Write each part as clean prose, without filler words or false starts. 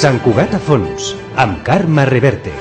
Sant Cugat a fons, amb Carme Reverte.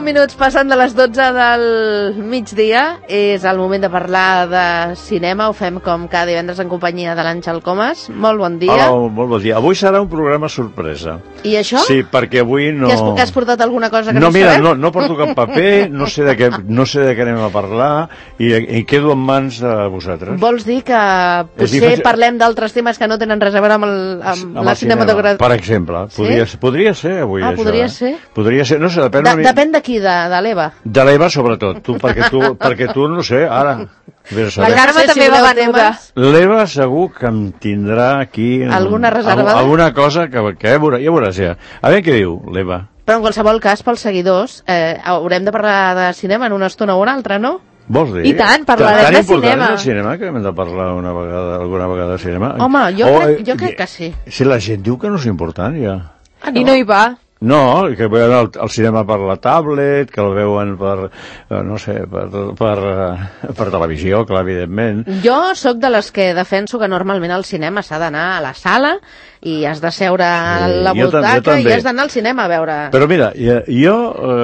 Minuts passant de les 12 del migdia, és el moment de parlar de cinema. Ho fem com cada divendres en companyia de l'Àngel Comas. Molt bon dia. Hola, molt bon dia. Avui serà un programa sorpresa. I això? Sí, perquè avui no... Que has portat alguna cosa que no mira, sabem? No porto cap paper, no sé de què anem a parlar i quedo en mans de vosaltres. Vols dir que potser parlem d'altres temes que no tenen res a veure amb la cinematografia? Per exemple, podria ser avui això. Podria ser? Podria ser, no sé, depèn de qui, de l'Eva. De l'Eva sobretot, perquè tu no sé, ara... La Carme també va venuda. L'Eva segur que em tindrà aquí... Alguna reservada? Alguna cosa que ja veuràs ja. A veure què diu l'Eva. Però en qualsevol cas, pels seguidors, haurem de parlar de cinema en una estona o una altra, no? Vols dir? I tant, parlarem de cinema. Tan important és el cinema que hem de parlar alguna vegada de cinema? Home, jo crec que sí. Si la gent diu que no és important, ja. I no hi va. No, que veuen el cinema per la tablet, que el veuen per, no sé, per televisió, clar, evidentment. Jo sóc de les que defenso que normalment al cinema s'ha d'anar a la sala i has de seure a la butaca i has d'anar al cinema a veure... Però mira, jo...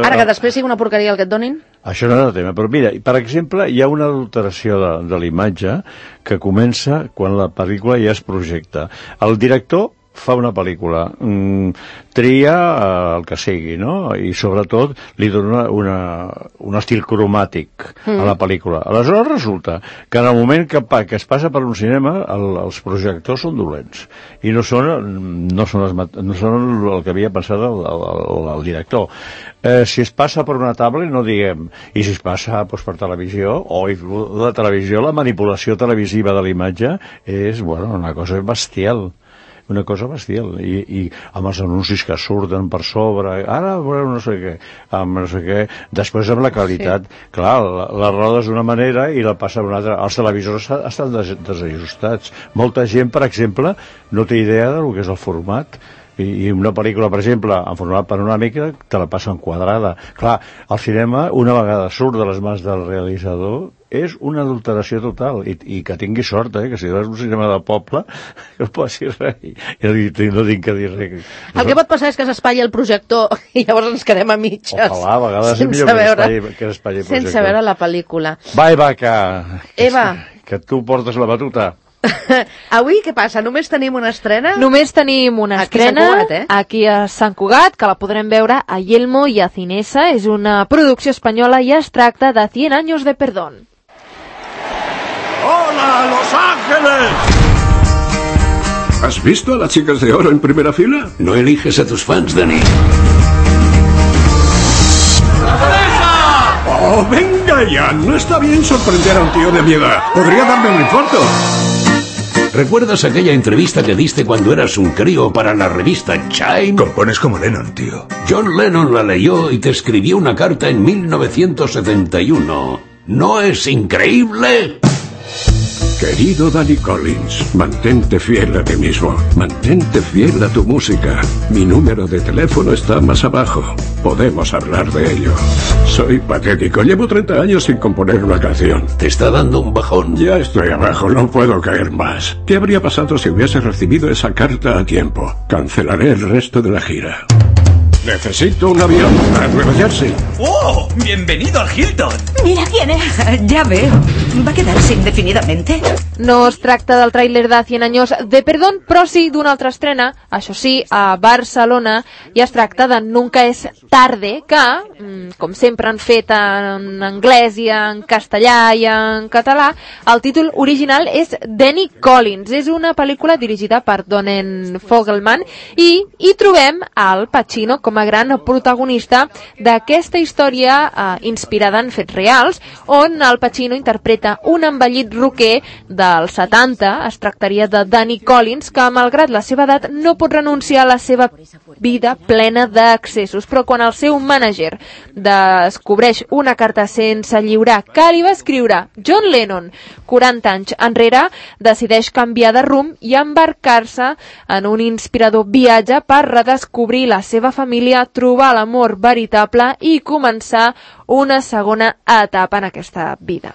Ara que després sigui una porqueria el que et donin... Això no és el tema, però mira, per exemple, hi ha una adulteració de l'imatge que comença quan la pel·lícula ja es projecta. El director fa una pel·lícula, tria el que sigui, no? I sobretot li dona un estil cromàtic a la pel·lícula. Aleshores resulta que en el moment que es passa per un cinema els projectors són dolents i no són el que havia pensat el director. Si es passa per una tablet no diguem, i si es passa per televisió, la televisió, la manipulació televisiva de l'imatge és una cosa bestial. Una cosa bestial, i amb els anuncis que surten per sobre, ara veureu no sé què, després amb la qualitat, clar, la rodes d'una manera i la passa d'una altra. Els televisors estan desajustats. Molta gent, per exemple, no té idea del que és el format, i una pel·lícula, per exemple, en format panoràmica, te la passen quadrada. Clar, el cinema, una vegada surt de les mans del realitzador, és una adulteració total, i que tingui sort, que si veus un cinema de poble que no passi res, no tinc que dir res. El que pot passar és que s'espatlli el projector i llavors ens quedem a mitges. Ojalà, a vegades és millor que s'espatlli el projector. Sense veure la pel·lícula. Va, Eva, que tu portes la batuta. Avui què passa? Només tenim una estrena? Només tenim una estrena aquí a Sant Cugat, que la podrem veure a Yelmo i a Cinesa. És una producció espanyola i es tracta de 100 años de perdón. ¡Hola, Los Ángeles! ¿Has visto a las chicas de oro en primera fila? No eliges a tus fans, Dani. ¡Oh, venga ya! No está bien sorprender a un tío de mi edad. Podría darme un infarto. ¿Recuerdas aquella entrevista que diste cuando eras un crío para la revista Chime? Compones como Lennon, tío. John Lennon la leyó y te escribió una carta en 1971. ¿No es increíble? Querido Danny Collins, mantente fiel a ti mismo. Mantente fiel a tu música. Mi número de teléfono está más abajo. Podemos hablar de ello. Soy patético. Llevo 30 años sin componer una canción. Te está dando un bajón. Ya estoy abajo, no puedo caer más. ¿Qué habría pasado si hubiese recibido esa carta a tiempo? Cancelaré el resto de la gira. Necesito un avión a Nueva Jersey. ¡Oh! ¡Bienvenido al Hilton! Mira quién es. Ya veo. ¿Va a quedarse indefinidamente? No es tracta del tràiler de 100 años de perdón, però sí d'una altra estrena, això sí, a Barcelona, i es tracta de Nunca es tarde, que, com sempre han fet en anglès i en castellà i en català, el títol original és Danny Collins. És una pel·lícula dirigida per Donen Fogelman i hi trobem Al Pacino com a gran protagonista d'aquesta història inspirada en fets reals, on Al Pacino interpreta un envellit rocker dels 70. Es tractaria de Danny Collins, que malgrat la seva edat no pot renunciar a la seva vida plena d'accessos, però quan el seu mànager descobreix una carta sense lliurar que li va escriure John Lennon 40 anys enrere, decideix canviar de rumb i embarcar-se en un inspirador viatge per redescobrir la seva família, trobar l'amor veritable i començar una segona etapa en aquesta vida.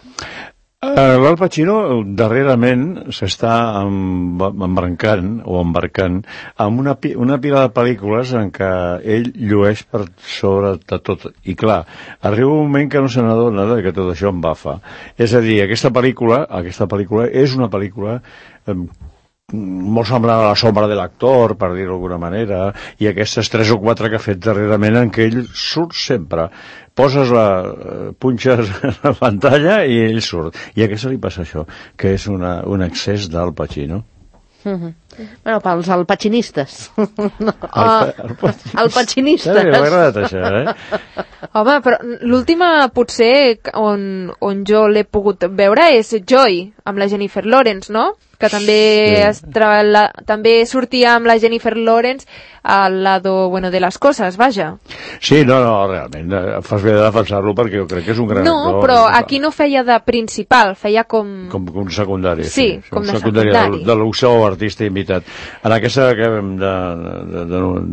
L'Al Pacino darrerament s'està embarcant amb una pila de pel·lícules en què ell llueix per sobre de tot. I clar, arriba un moment que no se n'adona que tot això embafa. És a dir, aquesta pel·lícula és una pel·lícula molt semblant a La sombra de l'actor, per dir-ho d'alguna manera, i aquestes 3 o 4 que ha fet darrerament en què ell surt sempre. Punxes la pantalla i ell surt. I a què se li passa això? Que és un excés d'Al Pacino. Bueno, pels alpacinistes. Alpacinistes. M'ha agradat això, Home, però l'última potser on jo l'he pogut veure és Joy, amb la Jennifer Lawrence, no? Que també sortia amb la Jennifer Lawrence al lado de les coses, vaja. Sí, no, realment, fas bé de defensar-lo perquè jo crec que és un gran actor. No, però aquí no feia de principal, feia com un secundari. Sí, com de secundari. De l'opció artista invitat. En aquesta que hem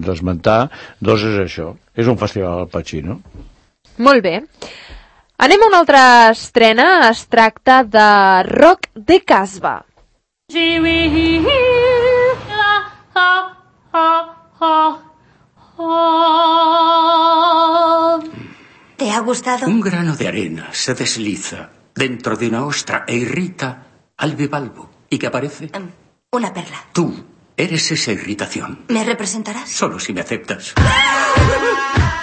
d'esmentar, doncs és això. És un festival Al Pacino. Molt bé. Anem a una altra estrena. Es tracta de Rock de Casbah. ¿Te ha gustado? Un grano de arena se desliza dentro de una ostra e irrita al bivalvo. ¿Y qué aparece? Una perla. Tú eres esa irritación. ¿Me representarás? Solo si me aceptas.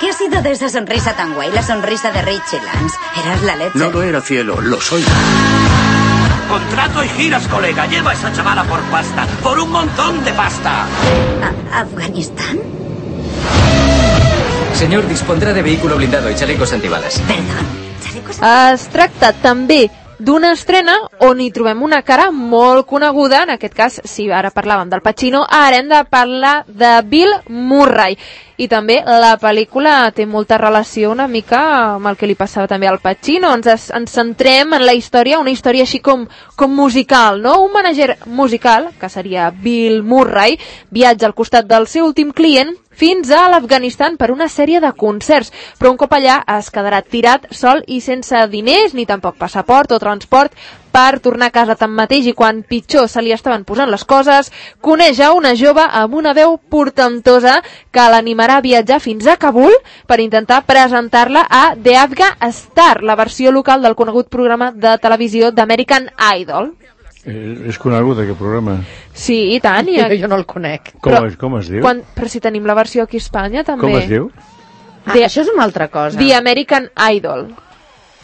¿Qué ha sido de esa sonrisa tan guay? La sonrisa de Richie Lance. Eras la leche. No lo era, cielo, lo soy. Contrato y giras, colega. Lleva a esa chavala por pasta. Por un montón de pasta. ¿Afganistán? Señor, dispondrá de vehículo blindado y chalecos antibalas. Perdón. ¿Chalecos Es tracta també d'una estrena on hi trobem una cara molt coneguda. En aquest cas, si ara parlàvem del Pacino, ara hem de parlar de Bill Murray. I també la pel·lícula té molta relació una mica amb el que li passava també al Pacino. Ens centrem en la història, una història així com musical, no? Un manager musical, que seria Bill Murray, viatja al costat del seu últim client fins a l'Afganistan per una sèrie de concerts, però un cop allà es quedarà tirat, sol i sense diners, ni tampoc passaport o transport per tornar a casa tanmateix, i quan pitjor se li estaven posant les coses, coneix a una jove amb una veu portentosa que l'animarà a viatjar fins a Kabul per intentar presentar-la a The Afghan Star, la versió local del conegut programa de televisió d'American Idol. És conegut aquest programa? Sí, i tant. Jo no el conec. Com es diu? Però si tenim la versió aquí a Espanya també. Com es diu? Això és una altra cosa. The American Idol.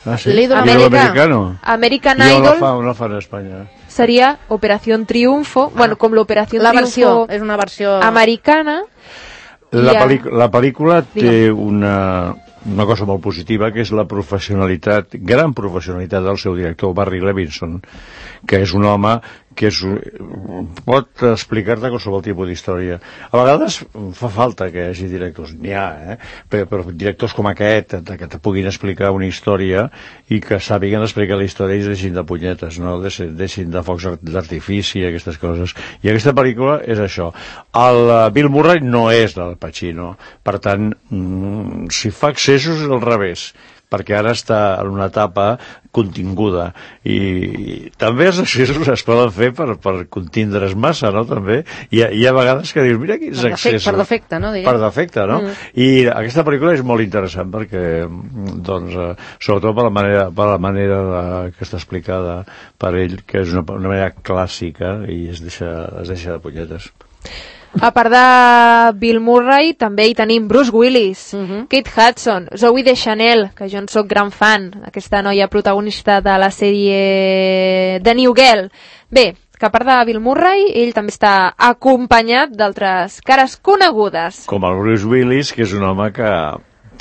Ah, sí? L'ídol americano. American I Idol on la fan a Espanya? seria Operación Triunfo, bueno, com l'Operación Triunfo és una versió americana. La pel·lícula té una cosa molt positiva, que és la professionalitat, gran professionalitat del seu director, Barry Levinson, que és un home que pot explicar-te qualsevol tipus d'història. A vegades fa falta que hi hagi directors, n'hi ha, però directors com aquest, que te puguin explicar una història i que sàpiguen explicar la història i es deixin de punyetes, no deixin de focs d'artifici, aquestes coses. I aquesta pel·lícula és això. El Bill Murray no és del Pacino, per tant, si fa excessos és al revés, perquè ara està en una etapa continguda, i també els excessos es poden fer per contindre's massa, no?, també. Hi ha vegades que dius, mira quins excessos. Per defecte, no? Per defecte, no? I aquesta pel·lícula és molt interessant perquè, doncs, sobretot per la manera que està explicada per ell, que és una manera clàssica i es deixa de punyetes. A part de Bill Murray, també hi tenim Bruce Willis, Kate Hudson, Zooey Deschanel, que jo en soc gran fan, aquesta noia protagonista de la sèrie The New Girl. Bé, que a part de Bill Murray, ell també està acompanyat d'altres cares conegudes. Com el Bruce Willis, que és un home que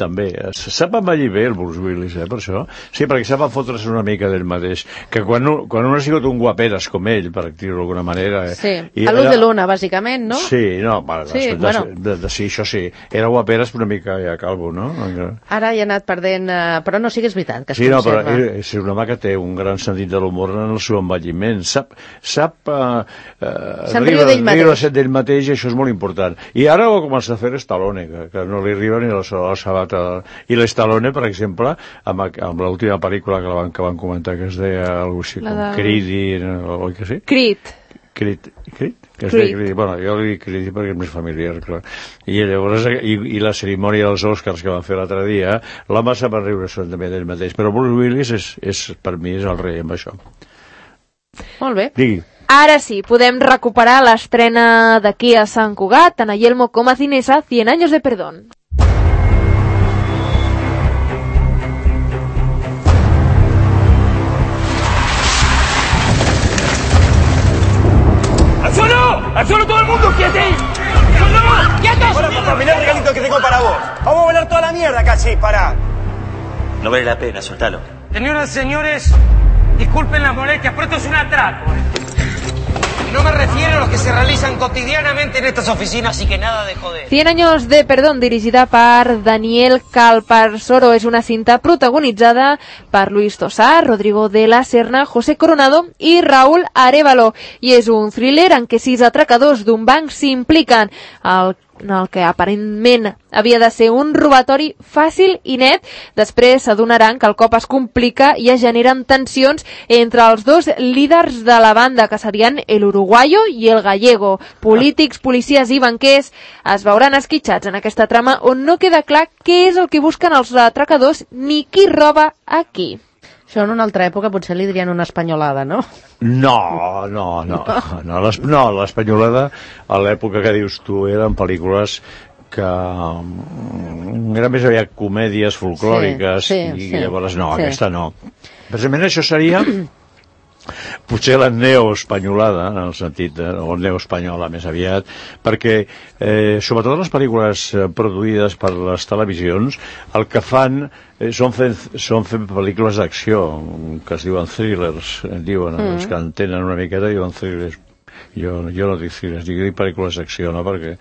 també sap envellir bé el Bruce Willis, per això. Sí, perquè sap fotre's una mica d'ell mateix. Que quan un ha sigut un guaperes com ell, per dir-ho d'alguna manera... Sí, a l'ull de l'una, bàsicament, no? Sí, no, sí, això sí. Era guaperes una mica ja calvo, no? Ara hi ha anat perdent... Però no, sí que és veritat que es conserva. Sí, no, però és un home que té un gran sentit de l'humor en el seu envelliment. Sap d'ell mateix, i això és molt important. I ara ho ha començat a fer Stallone, que no li arriba ni la sabata. I l'Stallone, per exemple, amb l'última pel·lícula que van comentar, que es deia alguna cosa com Creed, oi que sí? Creed? Que es deia Creed. Bueno, jo li dic Creed perquè és més familiar, clar. I llavors, i la cerimònia dels Oscars que van fer l'altre dia, l'home sap riure també d'ell mateix, però Bruce Willis per mi és el rei amb això. Molt bé. Digui. Ara sí, podem recuperar l'estrena d'aquí a Sant Cugat, tant a Yelmo com a Cinesa, 100 años de perdón. ¡Al suelo todo el mundo! ¡Quietos! ¡Quietos! Bueno, papá, mirá el regalito que tengo para vos. Vamos a volar toda la mierda casi, pará. No vale la pena, soltalo. Señoras y señores, disculpen las molestias, pero esto es un atraco. Y no me refiero a los que se realizan cotidianamente en estas oficinas, así que nada de joder. 100 años de perdón, dirigida per Daniel Calparsoro. És una cinta protagonitzada per Luis Tosar, Rodrigo de la Serna, José Coronado i Raúl Arévalo. I és un thriller en què 6 atracadors d'un banc s'impliquen en el que aparentment havia de ser un robatori fàcil i net. Després s'adonaran que el cop es complica i es generen tensions entre els dos líders de la banda, que serien el uruguayo i el gallego. Polítics, policies i banquers es veuran esquitxats en aquesta trama on no queda clar què és el que busquen els atracadors ni qui roba a qui. Això en una altra època potser li dirien una espanyolada, no? No, l'espanyolada a l'època que dius tu eren pel·lícules que eren més aviat comèdies folclòriques i llavors no, aquesta no. Precisament això seria potser la neoespanyolada, en el sentit o neoespanyola més aviat, perquè sobretot les pel·lícules produïdes per les televisions el que fan són fent pel·lícules d'acció que es diuen thrillers, els que entenen una miqueta diuen thrillers. Jo no dic thrillers, dic pel·lícules d'acció, no? Perquè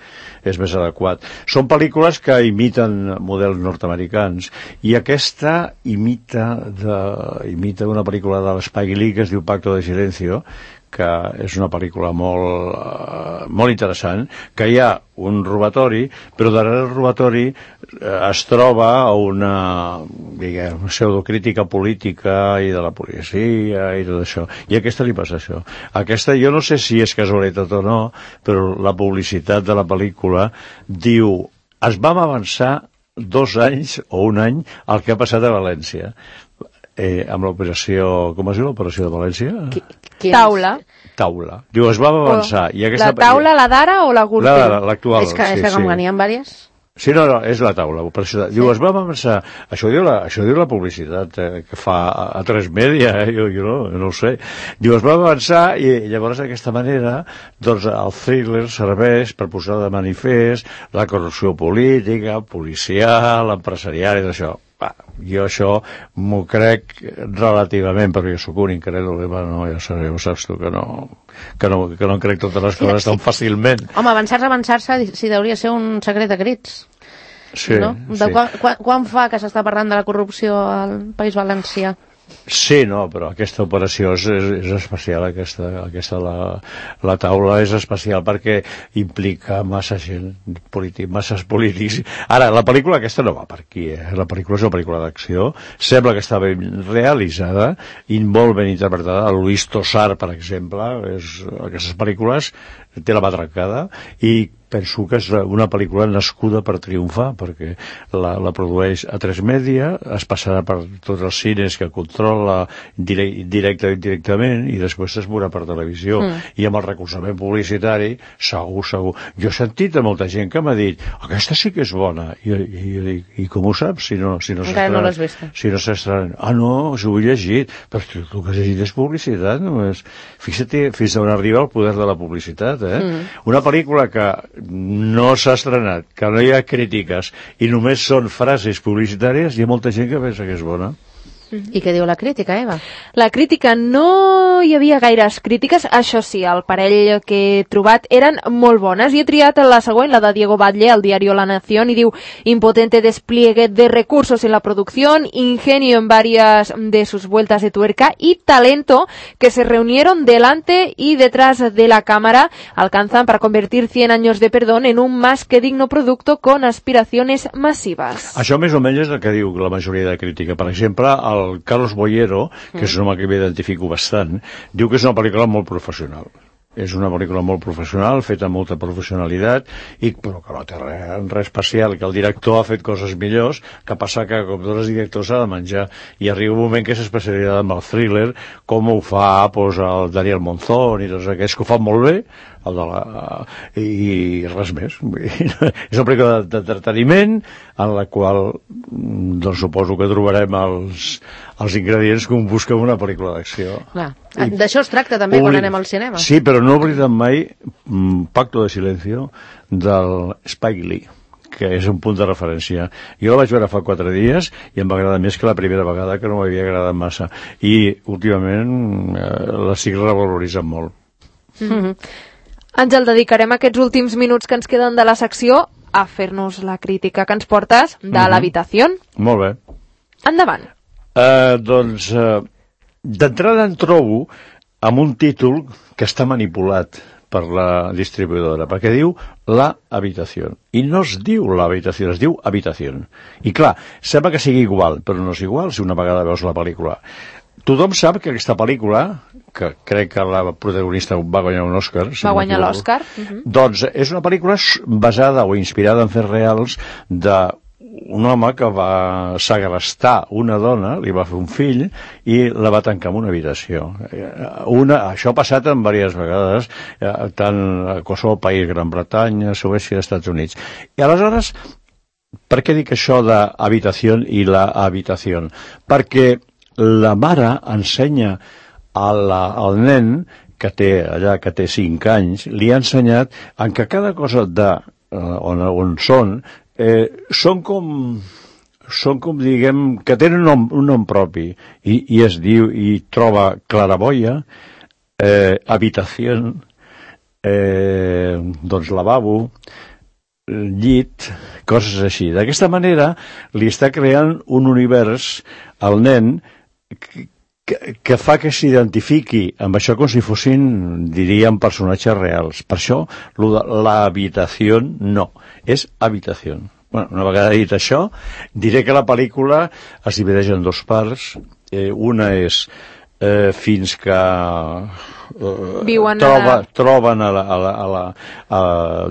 és més adequat. Són pel·lícules que imiten models nord-americans i aquesta imita una pel·lícula de l'Spike Lee que es diu Pacto de Silencio, que és una pel·lícula molt interessant, que hi ha un robatori, però darrere el robatori es troba una pseudocrítica política i de la policia i tot això. I a aquesta li passa això. Aquesta, jo no sé si és casualitat o no, però la publicitat de la pel·lícula diu es vam avançar 2 anys o 1 any el que ha passat a València. Amb l'operació... Com es diu l'operació de València? Taula. Diu, es va avançar. La taula, la d'ara o la Gürtel? L'actual. És que com que n'hi ha diverses. Sí, no, és la taula. Diu, es va avançar. Això diu la publicitat que fa a 3 Media, jo no ho sé. Diu, es va avançar i llavors d'aquesta manera doncs el thriller serveix per posar de manifest la corrupció política, policial, empresarial i d'això. Jo això m'ho crec relativament, perquè jo soc un incrèdul, ja saps tu que no em crec totes les coses tan fàcilment. Home, avançar-se si deuria ser un secret de crits. Sí, no? sí. Quan fa que s'està parlant de la corrupció al País Valencià? Sí, no, però aquesta operació és especial, la taula és especial perquè implica massa gent, masses polítics. Ara, la pel·lícula aquesta no va per aquí, la pel·lícula és una pel·lícula d'acció, sembla que està ben realitzada i molt ben interpretada. El Luis Tosar, per exemple, aquestes pel·lícules té la mà trencada i penso que és una pel·lícula nascuda per triomfar, perquè la produeix A3 Media, es passarà per tots els cines que controla directe o indirectament, i després es veurà per televisió. I amb el recolzament publicitari, segur. Jo he sentit a molta gent que m'ha dit, aquesta sí que és bona. I jo dic, i com ho saps? Si no encara no l'has vist. Si no s'estrena. No, si ho he llegit. Però el que has llegit és publicitat, només. Fixa't fins on arriba el poder de la publicitat, Una pel·lícula que no s'ha estrenat, que no hi ha crítiques i només són frases publicitàries, hi ha molta gent que pensa que és bona. I què diu la crítica, Eva? La crítica, no hi havia gaires crítiques, això sí, el parell que he trobat eren molt bones, i he triat la següent, la de Diego Batlle, al diario La Nación, y diu, impotente despliegue de recursos en la producción, ingenio en varias de sus vueltas de tuerca y talento que se reunieron delante y detrás de la cámara, alcanzan para convertir 100 años de perdón en un más que digno producto con aspiraciones masivas. Això més o menys és el que diu la majoria de crítica. Per exemple, el Carlos Boyero, que és un home que m'identifico bastant, diu que és una pel·lícula molt professional. És una pel·lícula molt professional, feta amb molta professionalitat, però que no té res especial, que el director ha fet coses millors, que passa que, com tots els directors, s'ha de menjar. I arriba un moment que és especialitat amb el thriller, com ho fa el Daniel Monzón i tots aquests, que ho fan molt bé, i res més. És una pel·lícula d'entreteniment en la qual suposo que trobarem els ingredients que un busca en una pel·lícula d'acció. D'això es tracta també quan anem al cinema. Sí, però no oblidem mai Pacto de Silencio del Spike Lee, que és un punt de referència. Jo la vaig veure fa 4 dies i em va agradar més que la primera vegada, que no m'havia agradat massa. I últimament la estic revaloritzant molt. Àngel, dedicarem aquests últims minuts que ens queden de la secció a fer-nos la crítica que ens portes de l'habitació. Molt bé. Endavant. D'entrada em trobo amb un títol que està manipulat per la distribuïdora, perquè diu La Habitació. I no es diu La Habitació, es diu Habitació. I clar, sembla que sigui igual, però no és igual si una vegada veus la pel·lícula. Tothom sap que aquesta pel·lícula, que crec que la protagonista va guanyar un Òscar... Va guanyar l'Òscar. Doncs és una pel·lícula basada o inspirada en fets reals d'un home que va segrestar una dona, li va fer un fill i la va tancar en una habitació. Això ha passat en diverses vegades, tant a qualsevol país, Gran Bretanya, Suècia, Estats Units. I aleshores, per què dic això d'habitació i la habitació? Perquè la mare ensenya al nen que té 5 anys, li ha ensenyat en que cada cosa on són diguem, que tenen un nom propi, i es diu, i troba claraboia, habitació, lavabo, llit, coses així. D'aquesta manera li està creant un univers al nen que fa que s'identifiqui amb això com si fossin, diríem, personatges reals. Per això, l'habitació no, és habitació. Una vegada dit això, diré que la pel·lícula es divideix en 2 parts. Una és fins que troben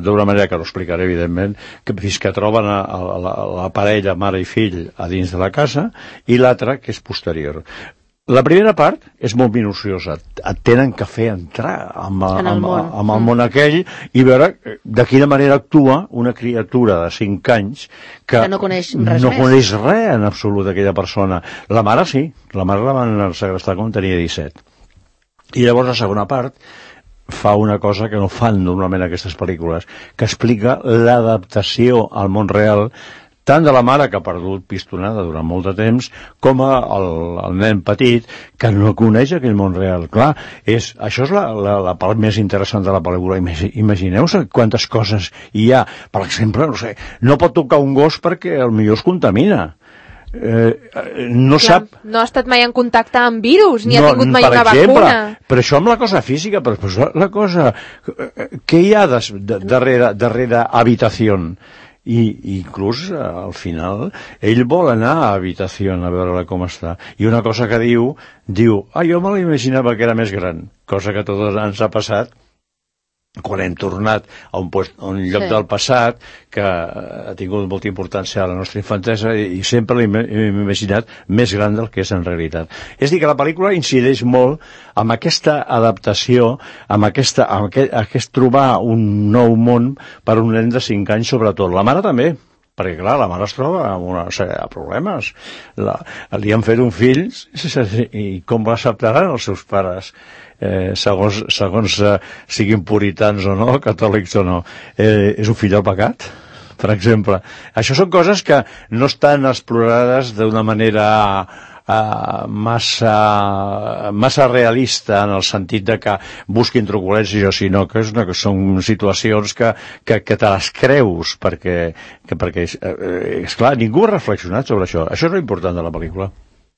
d'una manera que no explicaré, evidentment, fins que troben la parella, mare i fill, a dins de la casa, i l'altra, que és posterior. La primera part és molt minuciosa. Et tenen que fer entrar amb el món aquell i veure de quina manera actua una criatura de 5 anys que no coneix res en absolut d'aquella persona. La mare sí, la mare la van segrestar quan tenia 17. I llavors la segona part fa una cosa que no fan normalment aquestes pel·lícules, que explica l'adaptació al món real tant de la mare, que ha perdut pistonada durant molt de temps, com el nen petit, que no coneix aquell món real. Clar, això és la part més interessant de la pel·lícula. Imagineu-vos quantes coses hi ha. Per exemple, no pot tocar un gos perquè potser es contamina. No ha estat mai en contacte amb virus, ni ha tingut mai una vacuna. Però això amb la cosa física, però la cosa... Què hi ha darrere habitació? I inclús al final ell vol anar a habitació a veure com està, i una cosa que diu jo me l'imaginava que era més gran, cosa que a tots ens ha passat quan hem tornat a un lloc del passat que ha tingut molta importància a la nostra infantesa i sempre l'hem imaginat més gran del que és en realitat. És a dir, que la pel·lícula incideix molt amb aquesta adaptació, amb aquest trobar un nou món per a un nen de 5 anys sobretot. La mare també, perquè clar, la mare es troba amb una sèrie de problemes. Li han fet un fill i com l'acceptaran els seus pares? Segons siguin puritans o no, catòlics o no, és un fill del pecat, per exemple. Això són coses que no estan explorades d'una manera massa realista en el sentit de que busquin truculències, sinó que són situacions que te les creus perquè esclar, ningú ha reflexionat sobre això. Això és l'important de la pel·lícula.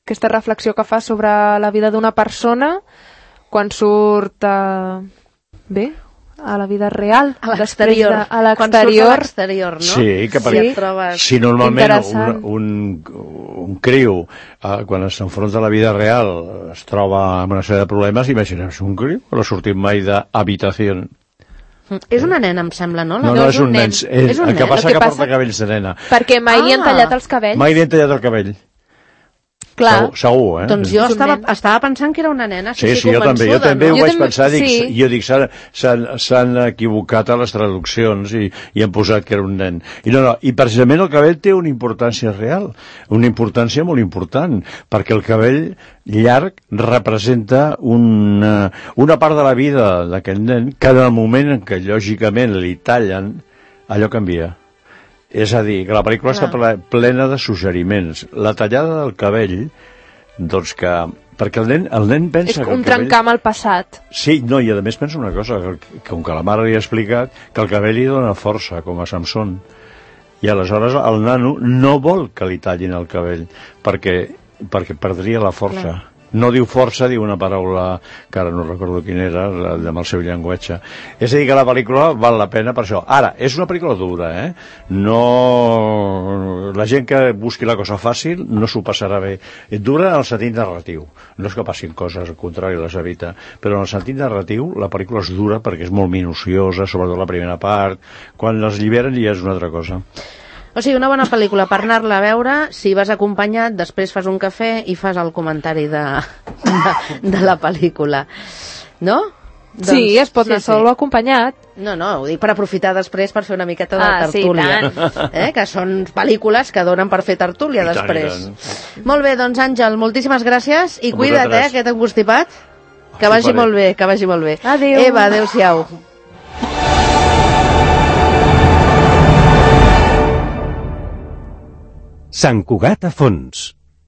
Aquesta reflexió que fa sobre la vida d'una persona quan surt a la vida real, a l'exterior, quan surt a l'exterior, no? Sí, que si normalment un criu quan s'enfronta a la vida real es troba amb una sèrie de problemes, imaginem un criu que no ha sortit mai d'habitació. És una nena, em sembla, no? No, és un nen. El que passa que porta cabells de nena. Perquè mai li han tallat els cabells. Mai li han tallat el cabell. Clar, segur, doncs jo estava pensant que era una nena. Sí, jo també ho vaig pensar. Jo dic, s'han equivocat a les traduccions i han posat que era un nen. I precisament el cabell té una importància real, una importància molt important, perquè el cabell llarg representa una part de la vida d'aquest nen que en el moment en què lògicament li tallen, allò canvia. És a dir, que la pel·lícula està plena de suggeriments. La tallada del cabell, doncs que... Perquè el nen pensa que el cabell... És un trencar amb el passat. Sí, no, i a més pensa una cosa, que com que la mare li ha explicat, que el cabell li dona força, com a Samson. I aleshores el nano no vol que li tallin el cabell, perquè perdria la força. Clar. No diu força, diu una paraula que ara no recordo quina era, amb el seu llenguatge. És a dir, que la pel·lícula val la pena per això. Ara, és una pel·lícula dura, No... La gent que busqui la cosa fàcil no s'ho passarà bé. Dura en el sentit narratiu. No és que passin coses, al contrari, les evita. Però en el sentit narratiu, la pel·lícula és dura perquè és molt minuciosa, sobretot la primera part. Quan les lliberen ja és una altra cosa. O sigui, una bona pel·lícula per anar-la a veure, si vas acompanyat, després fas un cafè i fas el comentari de la pel·lícula. No? Sí, es pot anar sol o acompanyat. No, ho dic per aprofitar després per fer una miqueta de tertúlia. Que són pel·lícules que donen per fer tertúlia després. Molt bé, doncs Àngel, moltíssimes gràcies i cuida't, aquest encostipat. Que vagi molt bé, que vagi molt bé. Adéu. Eva, adéu-siau. Sant Cugat a fons.